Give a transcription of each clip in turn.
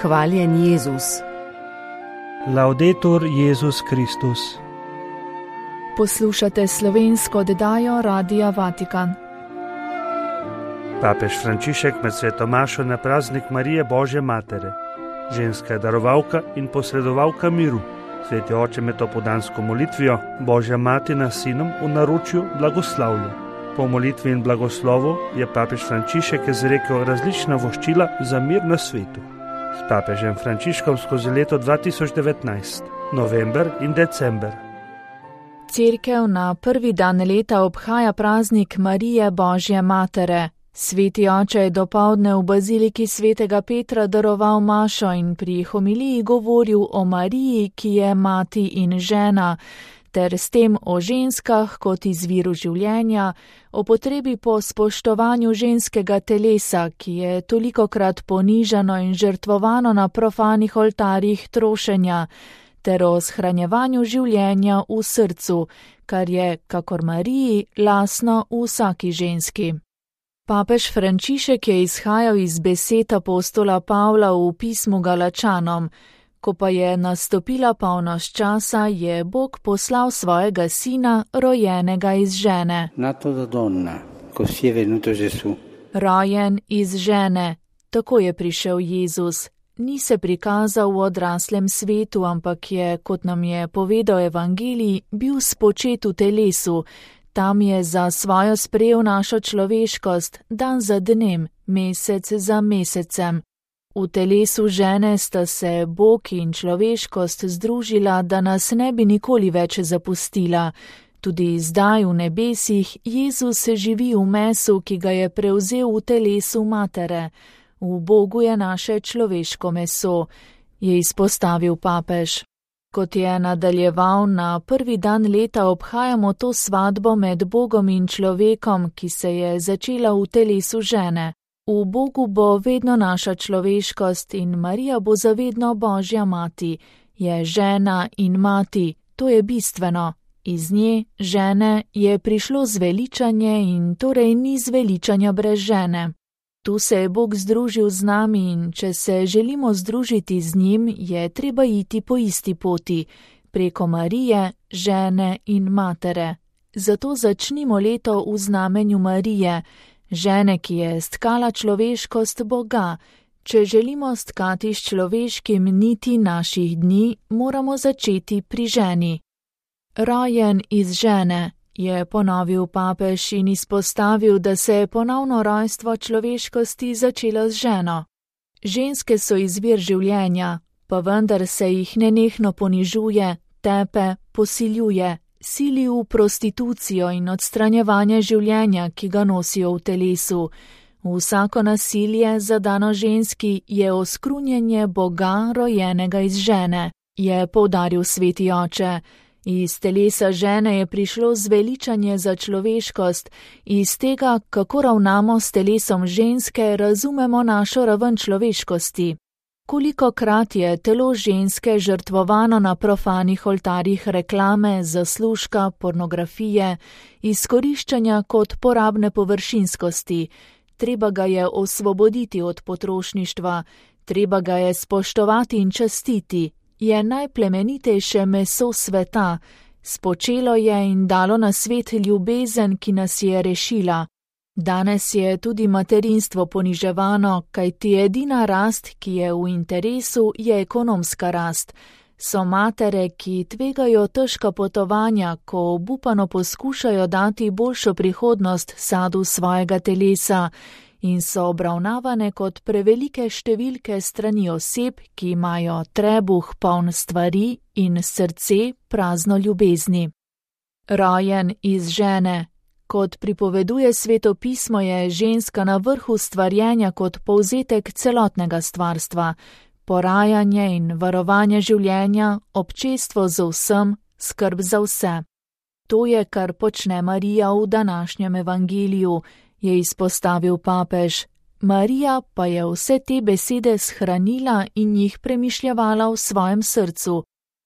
Hvaljen Jezus. Laudetur Jezus Kristus. Poslušate slovensko oddajo Radia Vatikan. Papež Frančišek med sveto mašo na praznik Marije Božje Matere. Ženska je darovalka in posredovalka miru. Sveti oče med opoldansko molitvijo Božja mati nas sinom v naročju blagoslavlja. Po molitvi in blagoslovu je papež Frančišek izrekel različna voščila za mir na svetu. S papežem Frančiškom skozi leto 2019, november in december. Cerkev na prvi dan leta obhaja praznik Marije Božje Matere. Sveti oče je dopoldne v baziliki svetega Petra daroval mašo in pri homiliji govoril o Mariji, ki je mati in žena, ter s tem o ženskah kot izviru življenja, o potrebi po spoštovanju ženskega telesa, ki je tolikokrat ponižano in žrtvovano na profanih oltarjih trošenja, ter o shranjevanju življenja v srcu, kar je, kakor Mariji, lastno v vsaki ženski. Papež Frančišek je izhajal iz besed apostola Pavla v pismu Galačanom. Ko pa je nastopila polnoč časa, je Bog poslal svojega sina, rojenega iz žene. Nato da donna, così è venuto Gesù. Rojen iz žene, tako je prišel Jezus. Ni se prikazal v odraslem svetu, ampak je, kot nam je povedal evangelij, bil spočet v telesu. Tam je za svojo sprejel našo človeškost, dan za dnem, mesec za mesecem. V telesu žene sta se Bog in človeškost združila, da nas ne bi nikoli več zapustila. Tudi zdaj v nebesih Jezus živi v mesu, ki ga je prevzel v telesu matere. V Bogu je naše človeško meso, je izpostavil papež. Kot je nadaljeval, na prvi dan leta obhajamo to svatbo med Bogom in človekom, ki se je začela v telesu žene. V Bogu bo vedno naša človeškost in Marija bo zavedno Božja mati. Je žena in mati, to je bistveno. Iz nje, žene, je prišlo zveličanje in torej ni zveličanja brez žene. Tu se je Bog združil z nami in če se želimo združiti z njim, je treba iti po isti poti, preko Marije, žene in matere. Zato začnimo leto v znamenju Marije, žene, ki je stkala človeškost Boga. Če želimo stkati s človeškim niti naših dni, moramo začeti pri ženi. Rojen iz žene, je ponovil papež in izpostavil, da se je ponovno rojstvo človeškosti začelo z ženo. Ženske so izvir življenja, pa vendar se jih nenehno ponižuje, tepe, posiljuje, sili v prostitucijo in odstranjevanje življenja, ki ga nosijo v telesu. Vsako nasilje zadano ženski je oskrunjenje Boga, rojenega iz žene, je poudaril sveti oče. Iz telesa žene je prišlo zveličanje za človeškost, iz tega, kako ravnamo s telesom ženske, razumemo našo raven človeškosti. Kolikokrat je telo ženske žrtvovano na profanih oltarjih reklame, zaslužka, pornografije, izkoriščanja kot porabne površinskosti. Treba ga je osvoboditi od potrošništva, treba ga je spoštovati in častiti. Je najplemenitejše meso sveta, spočelo je in dalo na svet ljubezen, ki nas je rešila. Danes je tudi materinstvo poniževano, kajti edina rast, ki je v interesu, je ekonomska rast. So matere, ki tvegajo težka potovanja, ko obupano poskušajo dati boljšo prihodnost sadu svojega telesa, in so obravnavane kot prevelike številke strani oseb, ki imajo trebuh poln stvari in srce prazno ljubezni. Rojen iz žene. Kot pripoveduje Sveto pismo, je ženska na vrhu stvarjenja kot povzetek celotnega stvarstva, porajanje in varovanje življenja, občestvo z vsem, skrb za vse. To je, kar počne Marija v današnjem evangeliju, je izpostavil papež. Marija pa je vse te besede shranila in jih premišljevala v svojem srcu.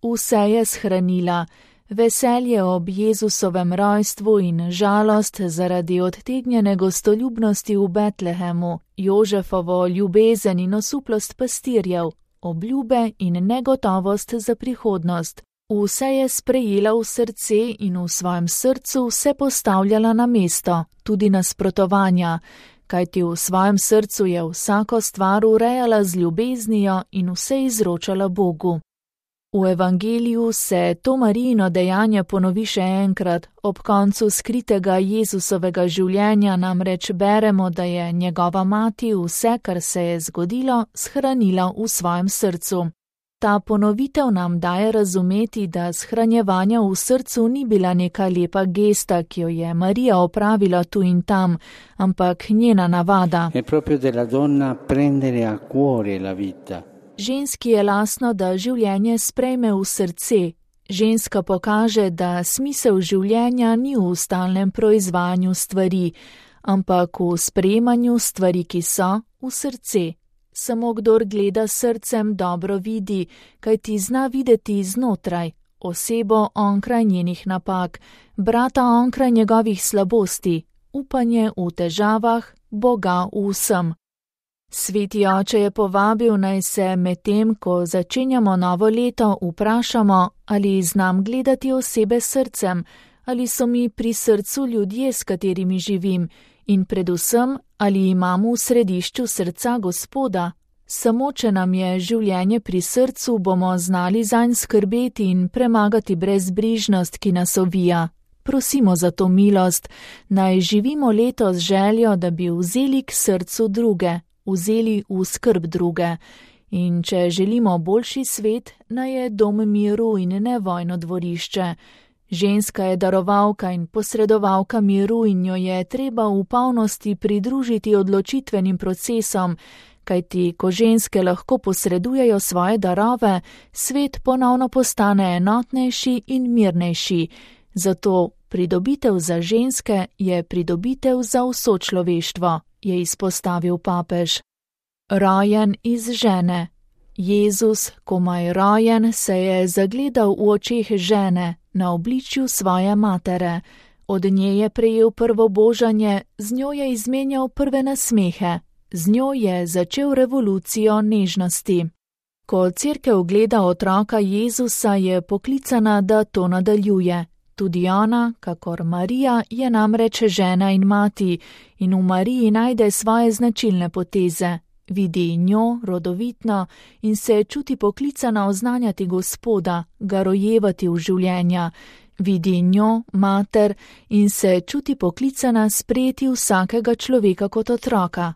Vse je shranila. Veselje ob Jezusovem rojstvu in žalost zaradi odtegnjene gostoljubnosti v Betlehemu, Jožefovo ljubezen in osuplost pastirjev, obljube in negotovost za prihodnost. Vse je sprejela v srce in v svojem srcu vse postavljala na mesto, tudi nasprotovanja, kajti v svojem srcu je vsako stvar urejala z ljubeznijo in vse izročala Bogu. V evangeliju se to Marijino dejanje ponovi še enkrat, ob koncu skritega Jezusovega življenja namreč beremo, da je njegova mati vse, kar se je zgodilo, shranila v svojem srcu. Ta ponovitev nam daje razumeti, da shranjevanja v srcu ni bila neka lepa gesta, ki jo je Marija opravila tu in tam, ampak njena navada. È proprio della donna prendere a cuore la vita. Ženski je lastno, da življenje sprejme v srce. Ženska pokaže, da smisel življenja ni v stalnem proizvajanju stvari, ampak v sprejemanju stvari, ki so, v srce. Samo kdor gleda srcem, dobro vidi, kaj ti zna videti znotraj, osebo onkraj njenih napak, brata onkraj njegovih slabosti, upanje v težavah, Boga v vsem. Sveti oče je povabil, naj se medtem, ko začenjamo novo leto, vprašamo, ali znam gledati osebe srcem, ali so mi pri srcu ljudje, s katerimi živim, in predvsem, ali imam v središču srca Gospoda. Samo če nam je življenje pri srcu, bomo znali zanj skrbeti in premagati brezbrižnost, ki nas ovija. Prosimo za to milost, naj živimo leto z željo, da bi vzeli k srcu druge, vzeli v skrb druge. In če želimo boljši svet, naj je dom miru in ne vojno dvorišče. Ženska je darovalka in posredovalka miru in jo je treba v polnosti pridružiti odločitvenim procesom, kajti ko ženske lahko posredujejo svoje darove, svet ponovno postane enotnejši in mirnejši. Zato pridobitev za ženske je pridobitev za vso človeštvo, je izpostavil papež. Rojen iz žene. Jezus, komaj rojen, se je zagledal v očeh žene, na obličju svoje matere. Od nje je prejel prvo božanje, z njo je izmenjal prve nasmehe, z njo je začel revolucijo nežnosti. Ko cerkev gleda otroka Jezusa, je poklicana, da to nadaljuje. Tudi ona, kakor Marija, je namreč žena in mati in v Mariji najde svoje značilne poteze. Vidi njo rodovitno in se čuti poklicana oznanjati Gospoda, ga rojevati v življenja. Vidi njo, mater, in se čuti poklicana sprejeti vsakega človeka kot otroka.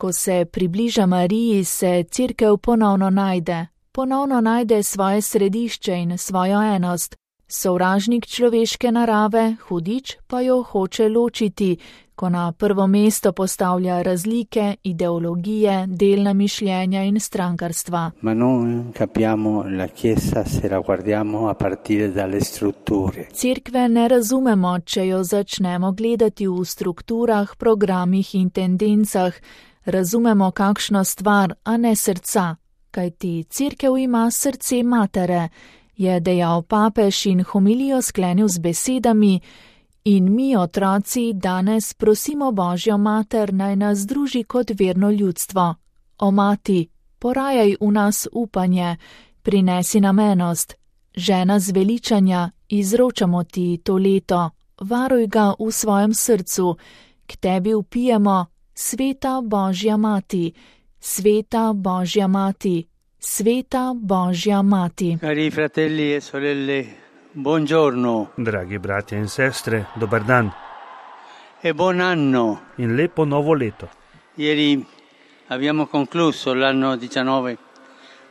Ko se približa Mariji, se cerkev ponovno najde svoje središče in svojo enost. Sovražnik človeške narave, hudič, pa jo hoče ločiti, ko na prvo mesto postavlja razlike, ideologije, delna mišljenja in strankarstva. Ma non capiamo la Chiesa se la guardiamo a partire dalle strutture. Cerkve ne razumemo, če jo začnemo gledati v strukturah, programih in tendencah. Razumemo kakšno stvar, a ne srca, kajti cerkev ima srce matere, je dejal papež in homilijo sklenil z besedami: in mi, otroci, danes prosimo Božjo mater, naj nas združi kot verno ljudstvo. O mati, porajaj v nas upanje, prinesi nam enost. Žena zveličanja, izročamo ti to leto, varuj ga v svojem srcu, k tebi vpijemo: Sveta Božja mati, sveta Božja mati, sveta Božja mati. Cari fratelli e sorelle, buongiorno. Dragi bratje in sestre, dober dan. E buon anno. In lepo novo leto. Ieri abbiamo concluso l'anno 19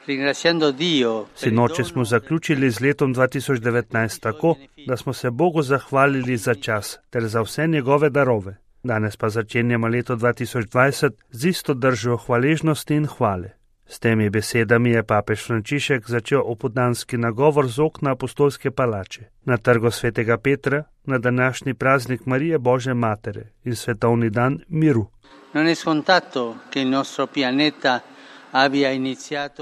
ringraziando Dio. Sinoči smo zaključili z letom 2019 tako, da smo se Bogu zahvalili za čas ter za vse njegove darove. Danes pa začenjamo leto 2020 z isto držo hvaležnosti in hvale. S temi besedami je papež Frančišek začel opoldanski nagovor z okna apostolske palače na trgu svetega Petra na današnji praznik Marije Božje matere in svetovni dan miru.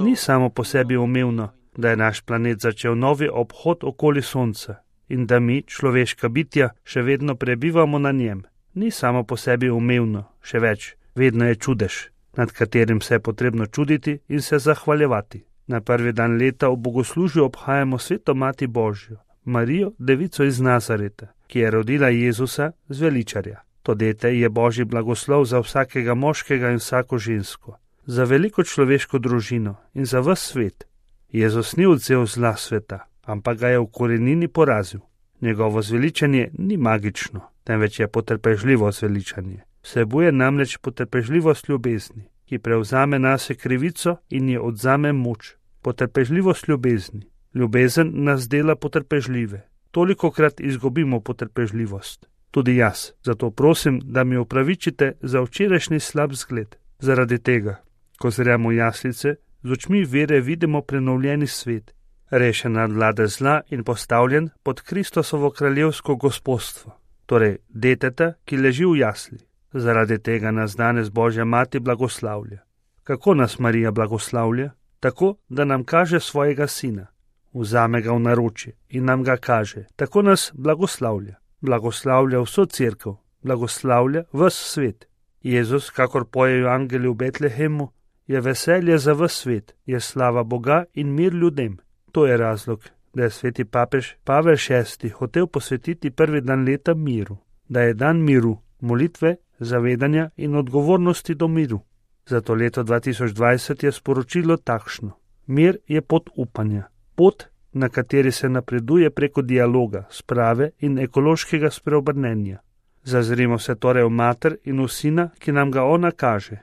Ni samo po sebi umevno, da je naš planet začel novi obhod okoli Sonca in da mi, človeška bitja, še vedno prebivamo na njem, ni samo po sebi umevno, še več, vedno je čudež, nad katerim se je potrebno čuditi in se zahvaljevati. Na prvi dan leta v bogoslužju obhajamo sveto Mati Božjo, Marijo, devico iz Nazareta, ki je rodila Jezusa zveličarja. To dete je Božji blagoslov za vsakega moškega in vsako žensko, za veliko človeško družino in za ves svet. Jezus ni odvzel zla sveta, ampak ga je v korenini porazil. Njegovo zveličanje ni magično, temveč je potrpežljivo zveličanje. Vsebuje namreč potrpežljivost ljubezni, ki prevzame nase krivico in je odzame moč. Potrpežljivost ljubezni. Ljubezen nas dela potrpežljive. Tolikokrat izgubimo potrpežljivost. Tudi jaz. Zato prosim, da mi opravičite za včerajšnji slab zgled. Zaradi tega, ko zremo v jaslice, z očmi vere vidimo prenovljeni svet, rešen nad vlade zla in postavljen pod Kristosovo kraljevsko gospodstvo, torej deteta, ki leži v jasli. Zaradi tega nas danes Božja Mati blagoslavlja. Kako nas Marija blagoslavlja? Tako, da nam kaže svojega sina, vzame ga v naročje in nam ga kaže. Tako nas blagoslavlja. Blagoslavlja vso cerkev, blagoslavlja ves svet. Jezus, kakor pojejo angeli v Betlehemu, je veselje za ves svet, je slava Boga in mir ljudem. To je razlog, da je sveti papež Pavel VI hotel posvetiti prvi dan leta miru, da je dan miru, molitve, zavedanja in odgovornosti do miru. Zato leto 2020 je sporočilo takšno. Mir je pot upanja, pot, na kateri se napreduje preko dialoga, sprave in ekološkega spreobrnenja. Zazrimo se torej v mater in v sina, ki nam ga ona kaže.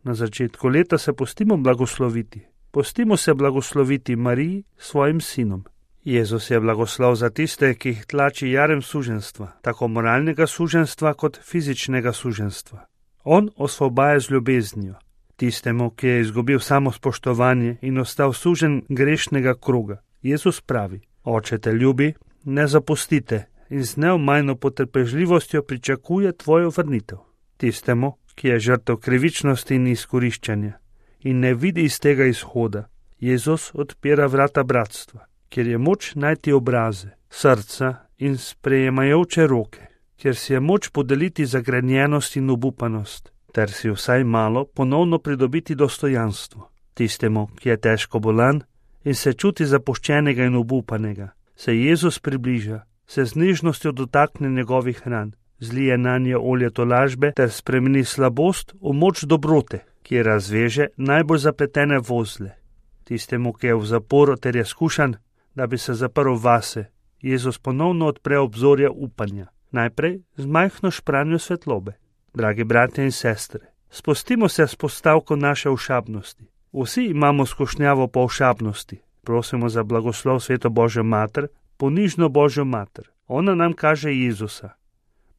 Na začetku leta se pustimo blagosloviti. Pustimo se blagosloviti Mariji svojim sinom. Jezus je blagoslov za tiste, ki jih tlači jarem suženstva, tako moralnega suženstva kot fizičnega suženstva. On osvobaja z ljubeznijo. Tistemu, ki je izgubil samospoštovanje in ostal sužen grešnega kroga. Jezus pravi: Oče te ljubi, ne zapustite in z neomajno potrpežljivostjo pričakuje tvojo vrnitev. Tistemu, ki je žrtev krivičnosti in izkoriščanja in ne vidi iz tega izhoda, Jezus odpira vrata bratstva, kjer je moč najti obraze, srca in sprejemajoče roke, kjer si je moč podeliti zagrenjenost in obupanost, ter si vsaj malo ponovno pridobiti dostojanstvo. Tistemu, ki je težko bolan in se čuti zapuščenega in obupanega, se Jezus približa, se z nežnostjo dotakne njegovih ran, zlije nanje olje tolažbe ter spremeni slabost v moč dobrote, ki razveže najbolj zapletene vozle. Tistemu, ki je v zaporu ter je skušan, da bi se zaprl vase, Jezus ponovno odpre obzorja upanja, najprej z majhno špranjo svetlobe. Dragi bratje in sestre, spustimo se s postavko naše ošabnosti. Vsi imamo skušnjavo po ošabnosti. Prosimo za blagoslov sveto Božjo mater, ponižno Božjo mater. Ona nam kaže Jezusa.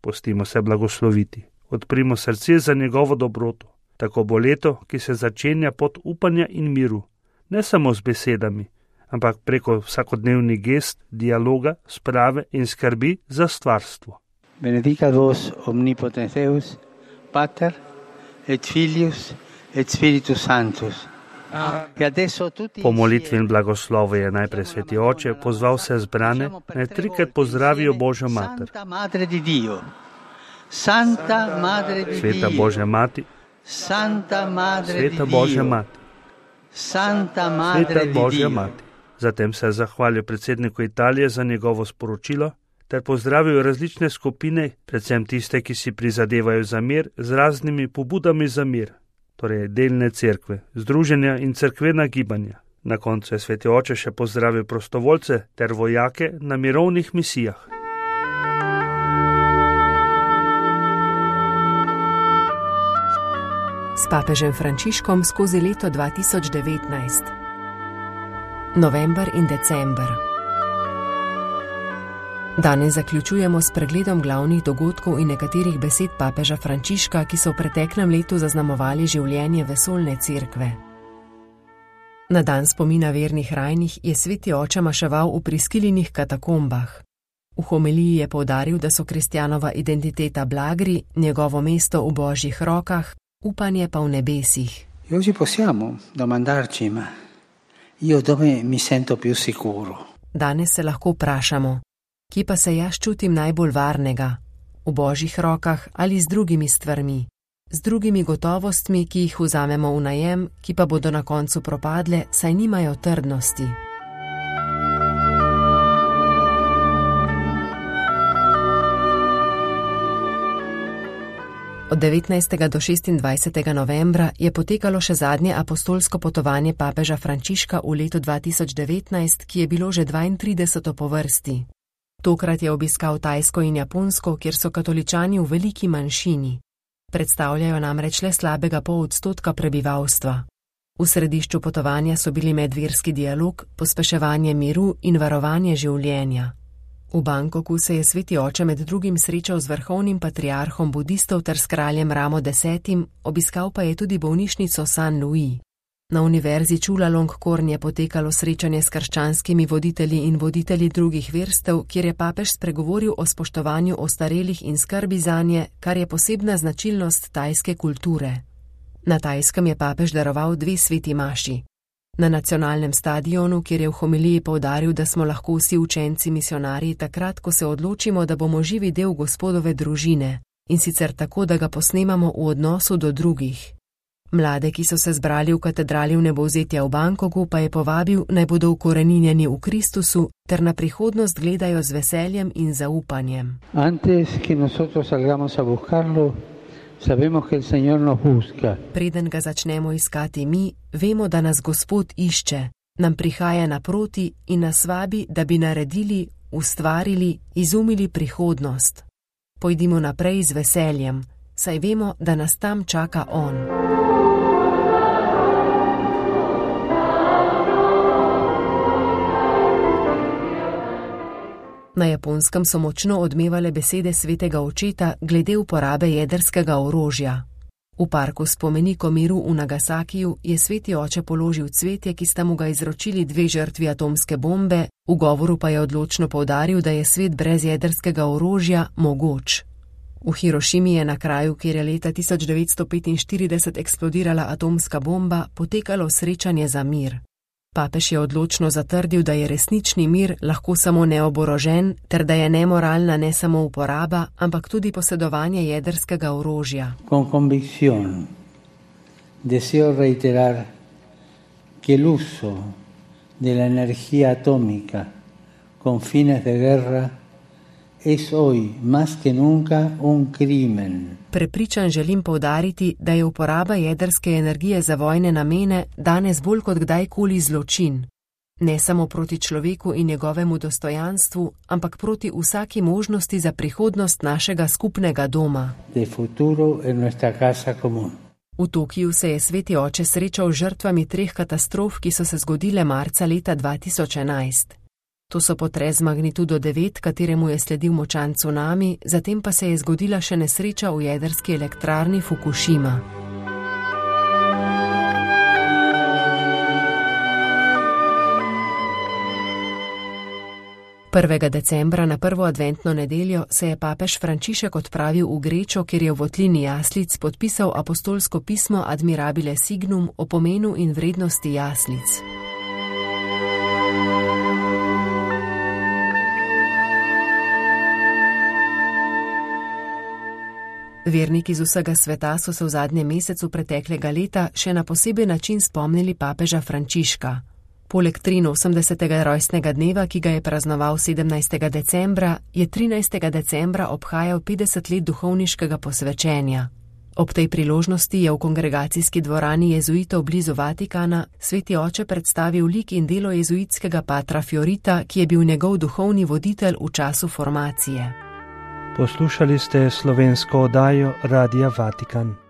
Pustimo se blagosloviti. Odprimo srce za njegovo dobroto. Tako bo leto, ki se začenja pot upanja in miru. Ne samo z besedami, ampak preko vsakodnevnih gest, dialoga, sprave in skrbi za stvarstvo. Benedicat vos omnipotens Deus, Pater et Filius et Spiritus Sanctus. Po molitvi in blagoslovu je najprej sveti oče pozval vse zbrane, naj trikrat pozdravijo Božjo mater. Sveta Božja mati, Sveta Božja mati, Sveta Božja mati. Zatem se je zahvalil predsedniku Italije za njegovo sporočilo ter pozdravil različne skupine, predvsem tiste, ki si prizadevajo za mir, z raznimi pobudami za mir, torej delne cerkve, združenja in cerkvena gibanja. Na koncu je sveti oče še pozdravil prostovoljce ter vojake na mirovnih misijah. S papežem Frančiškom skozi leto 2019. November in december. Danes zaključujemo s pregledom glavnih dogodkov in nekaterih besed papeža Frančiška, ki so v preteklem letu zaznamovali življenje vesoljne cerkve. Na dan spomina vernih rajnih je sveti oče maševal v priskiljenih katakombah. V homiliji je poudaril, da so kristjanova identiteta blagri, njegovo mesto v Božjih rokah, upanje pa v nebesih. Oggi possiamo domandarci, ma io dove mi sento più sicuro? Danes se lahko vprašamo, Kje pa se jaz čutim najbolj varnega? V Božjih rokah ali z drugimi stvarmi? Z drugimi gotovostmi, ki jih vzamemo v najem, ki pa bodo na koncu propadle, saj nimajo trdnosti. Od 19. do 26. novembra je potekalo še zadnje apostolsko potovanje papeža Frančiška v letu 2019, ki je bilo že 32. po vrsti. Tokrat je obiskal Tajsko in Japonsko, kjer so katoličani v veliki manjšini. Predstavljajo namreč le slabega 0,5% prebivalstva. V središču potovanja so bili medverski dialog, pospeševanje miru in varovanje življenja. V Bangkoku se je sveti oče med drugim srečal z vrhovnim patriarhom budistov ter s kraljem Ramo X, obiskal pa je tudi bolnišnico San Luis. Na univerzi Chulalongkorn je potekalo srečanje s krščanskimi voditelji in voditelji drugih verstev, kjer je papež spregovoril o spoštovanju ostarelih in skrbi zanje, kar je posebna značilnost tajske kulture. Na Tajskem je papež daroval 2 sveti maši. Na nacionalnem stadionu, kjer je v homiliji poudaril, da smo lahko vsi učenci misionarji takrat, ko se odločimo, da bomo živi del Gospodove družine, in sicer tako, da ga posnemamo v odnosu do drugih. Mlade, ki so se zbrali v katedrali Vnebovzetja v Bangkoku, pa je povabil, naj bodo ukoreninjeni v Kristusu ter na prihodnost gledajo z veseljem in zaupanjem. Preden ga začnemo iskati mi, vemo, da nas Gospod išče, nam prihaja naproti in nas vabi, da bi naredili, ustvarili, izumili prihodnost. Pojdimo naprej z veseljem, saj vemo, da nas tam čaka On. Na Japonskem so močno odmevale besede svetega očeta glede uporabe jedrskega orožja. V parku spomenikov miru v Nagasakiju je sveti oče položil cvetje, ki sta mu ga izročili 2 žrtvi atomske bombe, v govoru pa je odločno poudaril, da je svet brez jedrskega orožja mogoč. V Hirošimi je na kraju, kjer je leta 1945 eksplodirala atomska bomba, potekalo srečanje za mir. Papež je odločno zatrdil, da je resnični mir lahko samo neoborožen, ter da je nemoralna ne samo uporaba, ampak tudi posedovanje jedrskega orožja. Con convicción deseo reiterar que el uso de la energía atómica con fines de guerra es hoy más que nunca un crimen. Prepričan želim poudariti, da je uporaba jedrske energije za vojne namene danes bolj kot kdajkoli zločin. Ne samo proti človeku in njegovemu dostojanstvu, ampak proti vsaki možnosti za prihodnost našega skupnega doma. De futuro en nuestra casa común. V Tokiju se je sveti oče srečal z žrtvami 3 katastrof, ki so se zgodile marca leta 2011. To so potres z magnitudo 9, kateremu je sledil močan cunami, zatem pa se je zgodila še nesreča v jedrski elektrarni Fukushima. Decembra na prvo adventno nedeljo se je papež Frančišek odpravil v Grečo, kjer je v votlini jaslic podpisal apostolsko pismo Admirabile Signum o pomenu in vrednosti jaslic. Verniki z vsega sveta so se v zadnjem mesecu preteklega leta še na poseben način spomnili papeža Frančiška. Poleg 83. rojstnega dneva, ki ga je praznoval 17. decembra, je 13. decembra obhajal 50 let duhovniškega posvečenja. Ob tej priložnosti je v kongregacijski dvorani jezuitov blizu Vatikana sveti oče predstavil lik in delo jezuitskega patra Fiorita, ki je bil njegov duhovni voditelj v času formacije. Poslušali ste slovensko oddajo Radia Vatikan.